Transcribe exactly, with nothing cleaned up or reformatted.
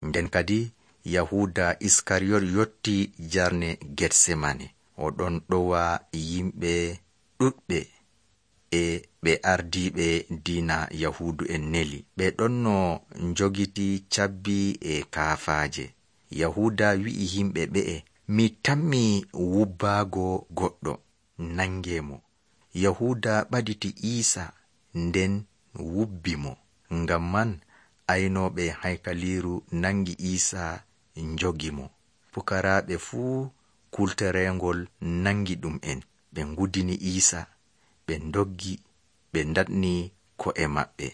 Nden kadi Yahuda Iskariyot yotti jarne Getsemane. O ɗon ɗowa yimɓe ɗuɗɓe e ɓe ardiiɓe diina Yahudu en neli. Ɓe ɗon no njogiti cabbi e kaafaaje. Yahuda wi'i yimɓe ɓe'e, mi tammi wubbaago goɗɗo, nangemo. Yahuda ɓaditi Iisa nden wubbi mo. Ngam man aynooɓe haykaliiru nangi Iisa njogi mo. Pukaraaɓe fuu kulterengol nangi ɗum en. Ɓe ngudini Iisa, ɓe ndoggi, ɓe ndaɗni ko'e maɓɓe.